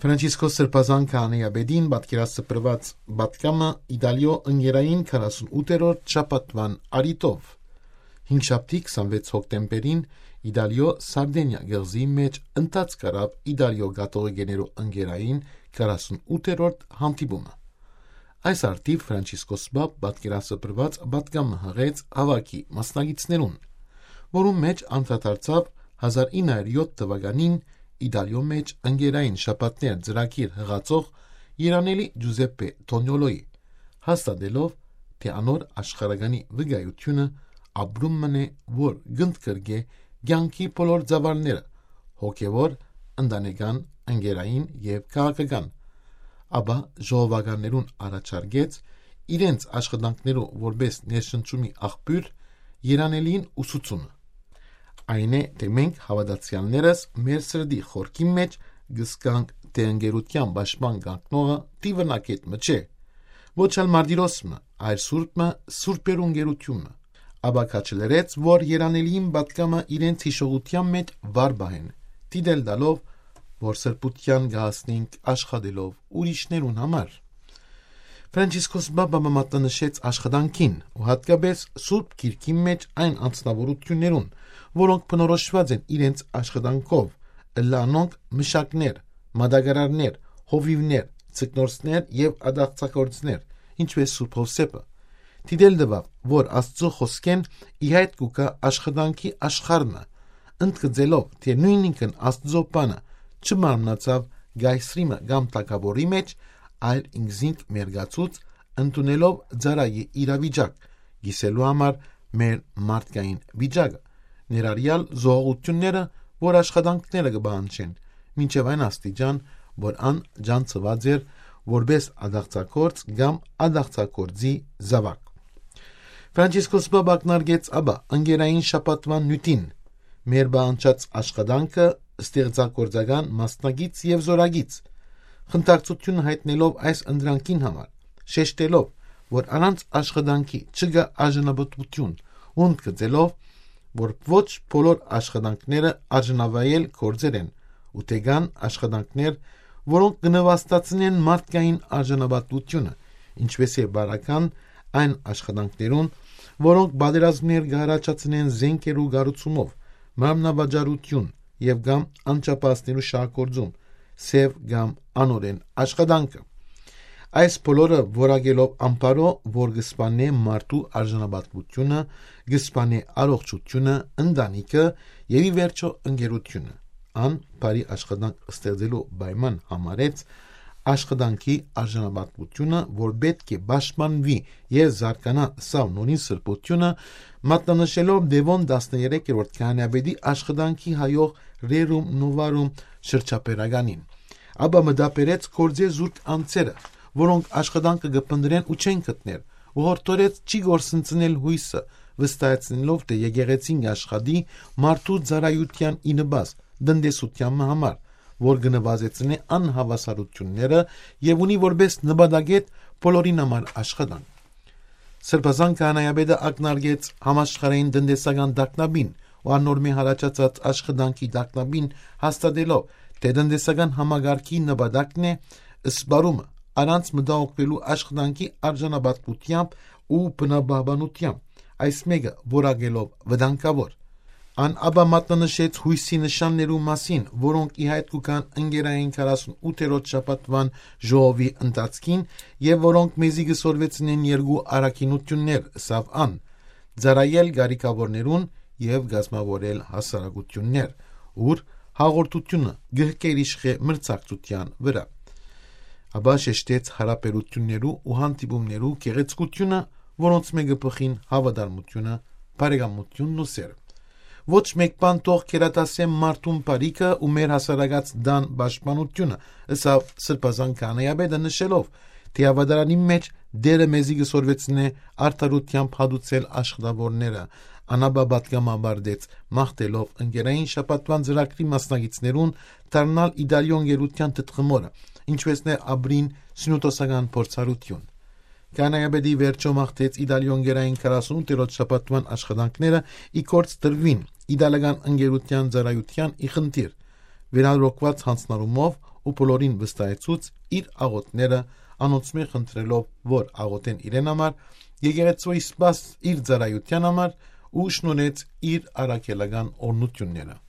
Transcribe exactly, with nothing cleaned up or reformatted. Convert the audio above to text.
Ֆրանցիսկոս Սրբազան քահանայապետին պատկերասփռուած պատգամը Իտալիոյ ընկերային քառասունութերորդ շաբաթուան առիթով։ Հինգշաբթի քսանվեց հոկտեմբերին Իտալիոյ Սարդենիա գեղձի մէջ ընթացք առաւ Իտալիոյ կաթողիկեներու ընկերային քառասունութերորդ հանդիպումը։ Այս արդիվ Ֆրանցիսկոս Պապ պատկերասփռուած պատգամը յղեց հաւաքի մասնակիցներուն, որուն մէջ անդրադարձաւ հազար ինը հարիւր յոթ թուականին Իտալիոյ մէջ ընկերային շաբաթներ ծրագիր յղացող երանելի Ջուզեպպե Թոնիոլոյի, հաստատելով, թէ անոր աշխարհականի վկայութիւնը ապրում մըն է, որ կ'ընդգրկէ կեանքի բոլոր ծավալները, հոգեւոր, ընտանեկան, ընկերային եւ քաղաքական, ապա ժողովականներուն առաջարկեց իրենց աշխատանքներու որպէս ներշնչումի աղբիւր երանելին ուսուցումը։ Այն է, թէ մենք հաւատացեալներս մեր սրտի խորքին մէջ կ'զգանք, թէ ընկերութեան պաշտպան կանգնողը տիվնակետ մը չէ, ոչ ալ մարտիրոս մը, այլ սուրբ մը, սուրբերու ընկերութիւն մը։ Ապա քաջալերեց, որ երանելին պատգամը իրենց յիշողութեան մէջ վառ պահեն, դիտել տալով, որ սրբութեան կը հասնենք աշխատելով ուրիշներուն համար։ Ֆրանցիսկոս Պապը մատնանշեց աշխատանքին ու յատկապէս Սուրբ Գիրքին մէջ այն անձնաւորութիւններուն, որոնք բնորոշուած են իրենց աշխատանքով, ըլլայ անոնք մշակներ, մատակարարներ, հովիւներ, ձկնորսներ եւ ատաղձագործներ, ինչպէս Սուրբ Յովսէփը։ Դիտել տուաւ, որ Աստուծոյ խօսքէն ի հայտ կու գայ աշխատանքի աշխարհ մը, ընդգծելով, թէ նոյնինքն Աստուծոյ բանը չմարմնացաւ կայսրի մը կամ թագաւորի մէջ, այլ ինքզինք մերկացուց, ընդունելով ծառայի իրավիճակ, կիսելու համար մեր մարդկային վիճակը, ներառեալ զոհողութիւնները, որ աշխատանքները կը պահանջեն, մինչեւ այն աստիճան, որ ան ջանցուած էր որպէս ատաղձագործ կամ ատաղձագործի զաւակ։ Ֆրանցիսկոս Պապ ակնարկեց ապա ընկերային շաբաթուան նիւթին, մեր պահանջած աշխատանքը ստեղծագործական մասնակից եւ զօրակից, խնդակցութիւն յայտնելով այս ընտրանքին համար, շեշտելով, որ առանց աշխատանքի չկայ արժանապատուութիւն, ու ընդգծելով, որ ոչ բոլոր աշխատանքները արժանավայել գործեր են, ու թէ կան աշխատանքներ, որոնք կը նուաստացնեն մարդկային արժանապատուութիւնը, ինչպէս է բարական այն աշխատանքներուն, որոնք պատերազմներ կը յառաջացնեն զենքերու կառուցումով, մարմնավաճառութիւն եւ կամ անչափահասներու շահագործում, սեւ կամ անօրէն աշխատանքը։ Այս բոլորը որակելով ամբարոյ, որ կը սպաննէ մարդու արժանապատվութիւնը, կը սպաննէ առողջութիւնը, ընտանիքը եւ ի վերջոյ ընկերութիւնը։ Ան բարի աշխատանք ստեղծելու պայման համարեց աշխատանքի արժանապատվութիւնը, որ պէտք է պաշտպանուի եւ զարգանայ սա նորին սրբութիւնը, մատնանշելով Դեւոն տասներեքերորդ քահանայապետի աշխատանքի հայող Rerum Novarum շրջաբերականին։ Ապա մտաբերեց գործէ զուրկ անձերը, որոնք աշխատանքը կը փնտռեն ու չեն գտներ, ու յորդորեց չի կորսնցնել յոյսը, վստահեցնելով, թէ եկեղեցին կ'աշխատի մարդու ծառայութեան ի նպաստ, տնտեսութեան մը համար, որ կը նվազեցնէ անհաւասարութիւնները եւ ունի որպէս նպատակետ բոլորին համար աշխատանք։ Սրբազան քահանայապետը ակնարկեց համաշխարհային տնտեսական տագնապին ու անոր մէ յառաջացած աշխատանքի տագնապին, հաստատելով, թէ տնտեսական համակարգի նպատակն է սպառումը, առանց մտահոգուելու աշխատանքի արժանապատվութեամբ ու բնապահպանութեամբ, այս մէկը որակելով վտանգաւոր։ Ան ապա մատնանշեց յոյսի նշաններու մասին, որոնք ի հայտ կու գան ընկերային քառասունութերորդ շաբաթուան ժողովի ընթացքին եւ որոնք մեզի կը սորվեցնեն երկու առաքինութիւններ, ըսաւ ան. ծառայել կարիքաւորներուն եւ կազմաւորել հասարակութիւններ, ուր հաղորդութիւնը կը գերիշխէ մրցակցութեան վրայ։ Ապա շեշտեց յարաբերութիւններու ու հանդիպումներու գեղեցկութիւնը, որոնց մէկը բխին հաւատարմութիւնը, բարեկամութիւնն ու սերը։ Ոչ մէկ բան թող գերադասէ մարդուն բարիքը ու մեր հասարակաց տան պաշտպանութիւնը, ըսաւ Սրբազան քահանայապետը, նշելով, թէ աւետարանին մէջ Տէրը մեզի կը սորվեցնէ արդարութեամբ հատուցել աշխատաւորները, ան ապա պատգամը աւարտեց, մաղթելով ընկերային շաբաթուան ծրագրի մասնակիցներուն դառնալ Իտալիոյ ընկերութեան թթխմորը, ինչպէս ներ ապրին սիւնոդոսական փորձառութիւն։ Քահանայապետի վերջոյ մաղթեց Իտալիոյ ընկերային քառասունութերորդ շաբաթուան աշխատանքները ի գործ դրուին իտալական ընկերութեան ծառայութեան ի խնդիր, վերանորոգուած յանձնառումով ու բոլորին վստահեցուց իր աղօթքները, անոնցմէ խնդրելով որ աղօթեն իրեն համար, եկեղեցւոյ սպաս իր ծառայութեան համար ու շնորհեց իր առաքելական օրհնութիւնները։